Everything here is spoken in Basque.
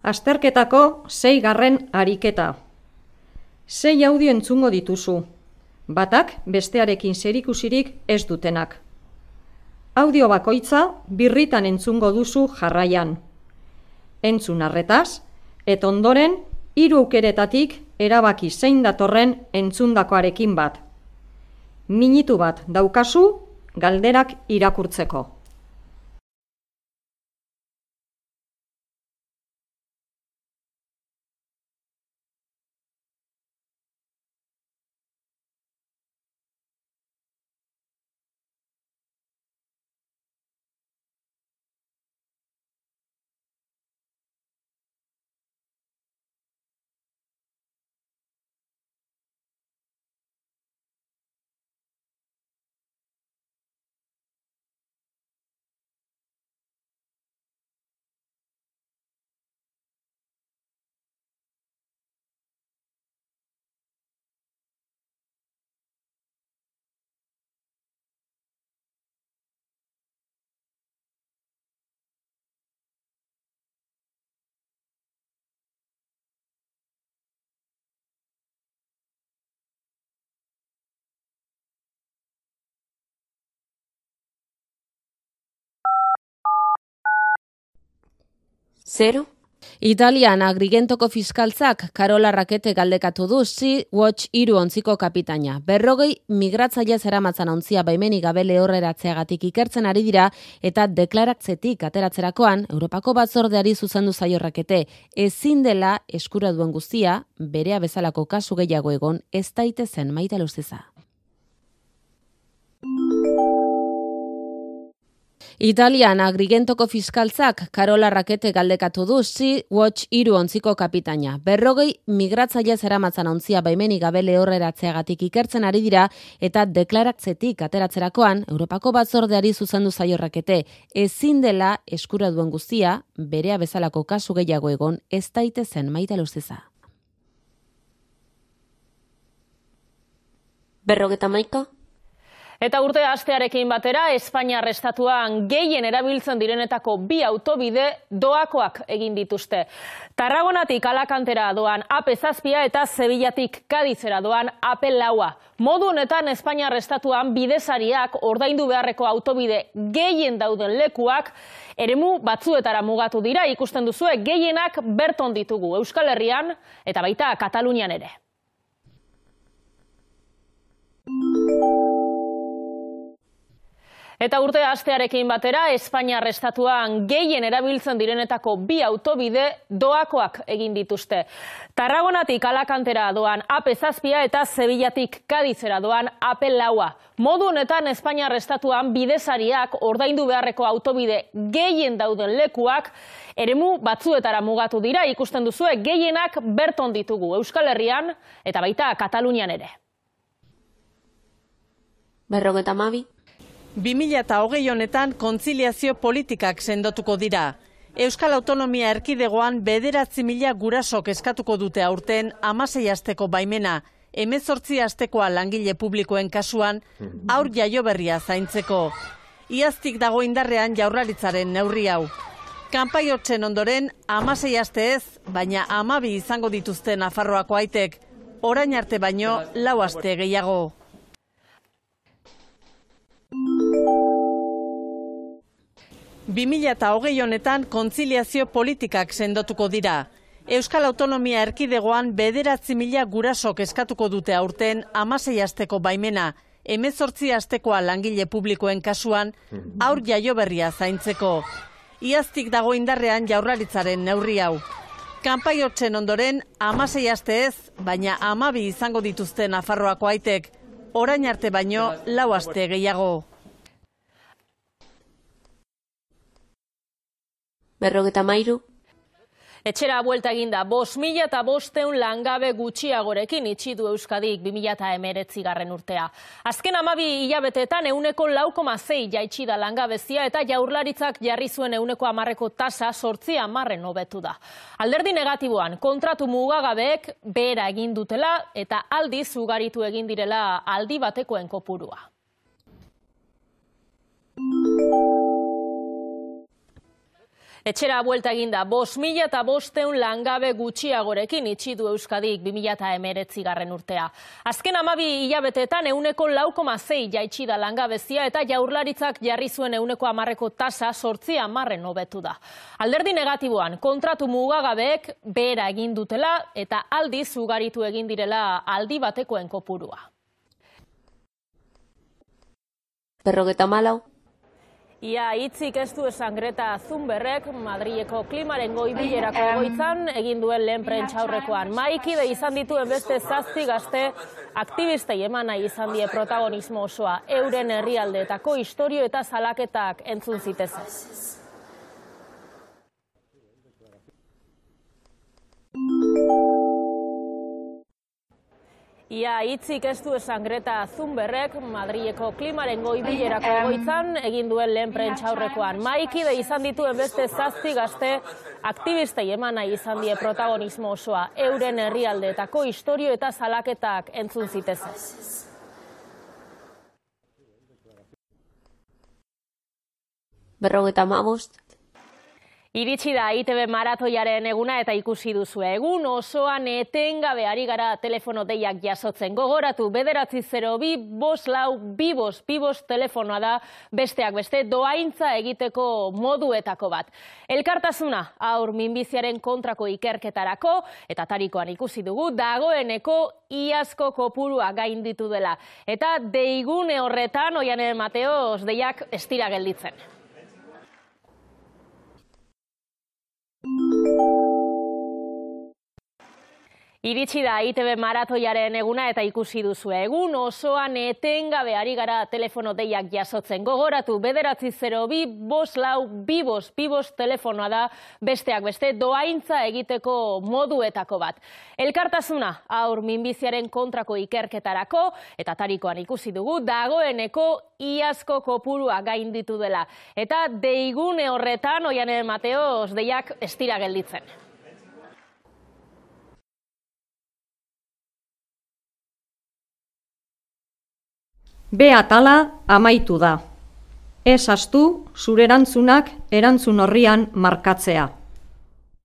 Azterketako 6. ariketa. 6 audio entzungo dituzu. Batak bestearekin zerikusirik ez dutenak. Audio bakoitza birritan entzungo duzu jarraian. Entzun arretaz, eta ondoren 3 aukeretatik erabaki zein datorren entzundakoarekin bat. Minutu bat daukazu galderak irakurtzeko. Zero. Italian Agrigentoko fiskaltzak Carola Rackete galdekatu du Sea-Watch 3 ontziko kapitaina. 40 migratzaile zeramatzan ontzia baimenik gabe lehorreratzeagatik ikertzen ari dira eta deklaratzetik ateratzerakoan Europako batzordeari zuzendu zaio Rackete. Ezin dela eskura duen guztia, berea bezalako kasu gehiago egon ez daitezen Maite Luziza. Italian Agrigentoko fiskaltzak Carola Rackete galdekatu du Sea-Watch 3 ontziko kapitaina. 40 migratzaile zeramatzan ontzia baimenik gabe lehorreratzeagatik ikertzen ari dira eta deklaratzetik ateratzerakoan Europako batzordeari zuzendu zaio Rackete. Ezin dela eskura duen guztia, berea bezalako kasu gehiago egon ez daitezen Maite Luziza. 51. Eta urte hastearekin batera, Espainiar estatuan gehien erabiltzen direnetako 2 autobide doakoak egin dituzte. Tarragonatik Alakantera doan AP7 eta Sevillatik Kadizera doan AP4. Modu honetan Espainiar estatuan bidesariak ordaindu beharreko autobide gehien dauden lekuak eremu batzuetara mugatu dira, ikusten duzue gehienak berton ditugu Euskal Herrian eta baita Katalunian ere. Eta urte hastearekin batera, Espainiar estatuan gehien erabiltzen direnetako 2 autobide doakoak egin dituzte. Tarragonatik Alakantera doan AP7 eta Sevillatik Kadizera doan AP4. Modu honetan Espainiar estatuan bidesariak ordaindu beharreko autobide gehien dauden lekuak eremu batzuetara mugatu dira, ikusten duzue gehienak berton ditugu Euskal Herrian eta baita Katalunian ere. 52. 2020 honetan kontziliazio politikak sendotuko dira. Euskal Autonomia Erkidegoan 9.000 gurasok eskatuko dute aurten 16 asteko baimena, 18 astekoa langile publikoen kasuan haur jaioberria zaintzeko. Iaztik dago indarrean Jaurlaritzaren neurri hau. Kanpaiotzen ondoren 16 aste ez, baina 12 izango dituzte Nafarroako aitek, orain arte baino 4 aste gehiago. 2020 honetan kontziliazio politikak sendotuko dira. Euskal Autonomia Erkidegoan 9.000 gurasok eskatuko dute aurten 16 asteko baimena, 18 astekoa langile publikoen kasuan haur jaioberria zaintzeko. Iaztik dago indarrean Jaurlaritzaren neurri hau. Kanpaiotzen ondoren 16 aste ez, baina 12 izango dituzte Nafarroako aitek, orain arte baino 4 aste gehiago. 53. Etxera buelta eginda 5.500 langabe gutxiagorekin itxi du Euskadik 2019 urtea. Azken 12 hilabeteetan 4,6 jaitsi da langabezia eta Jaurlaritzak jarri zuen 10% tasa 8% hobetu da. Alderdi negatiboan kontratu mugagabeek behera egin dutela eta aldiz ugaritu egin direla aldi batekoen kopurua. Etxera buelta eginda 5.500 langabe gutxiagorekin itxi du Euskadik 2019 urtea. Azken 12 hilabeteetan 4,6 jaitsi da langabezia eta Jaurlaritzak jarri zuen 10% tasa 8% hobetu da. Alderdi negatiboan kontratu mugagabeek behera egin dutela eta aldiz ugaritu egin direla aldi batekoen kopurua. 54. Ia hitzik ez du esan Greta Thunbergek Madrileko klimaren goi-bilerako egoitzan egin duen lehen prentsaurrekoan. Mahaikide izan dituen beste 7 gazte aktivistei eman nahi izan die protagonismo osoa. Euren herrialdeetako istorio eta salaketak entzun zitezen. Ia hitzik ez du esan Greta Thunbergek Madrileko klimaren goi-bilerako egoitzan egin duen lehen prentsaurrekoan. Mahaikide izan dituen beste 7 gazte aktivistei eman nahi izan die protagonismo osoa. Euren herrialdeetako istorio eta salaketak entzun zitezen. Iritsi da ITB maratoiaren eguna eta ikusi duzu. Egun osoan etengabe ari gara telefono deiak jasotzen. Gogoratu 902-542-555 telefonoa da besteak beste dohaintza egiteko moduetako bat. Elkartasuna haur minbiziaren kontrako ikerketarako eta tarikoan ikusi dugu dagoeneko iazko kopurua gainditu dela. Eta deigune horretan Oiane Mateos deiak ez dira gelditzen. Iritsi da ITB maratoiaren eguna eta ikusi duzu. Egun osoan etengabe ari gara telefono deiak jasotzen. Gogoratu 902-542-555 telefonoa da besteak beste dohaintza egiteko moduetako bat. Elkartasuna haur minbiziaren kontrako ikerketarako eta tarikoan ikusi dugu dagoeneko iazko kopurua gainditu dela. Eta deigune horretan Oiane Mateos deiak ez dira gelditzen. B atala amaitu da. Ez ahaztu zure erantzunak erantzun orrian markatzea.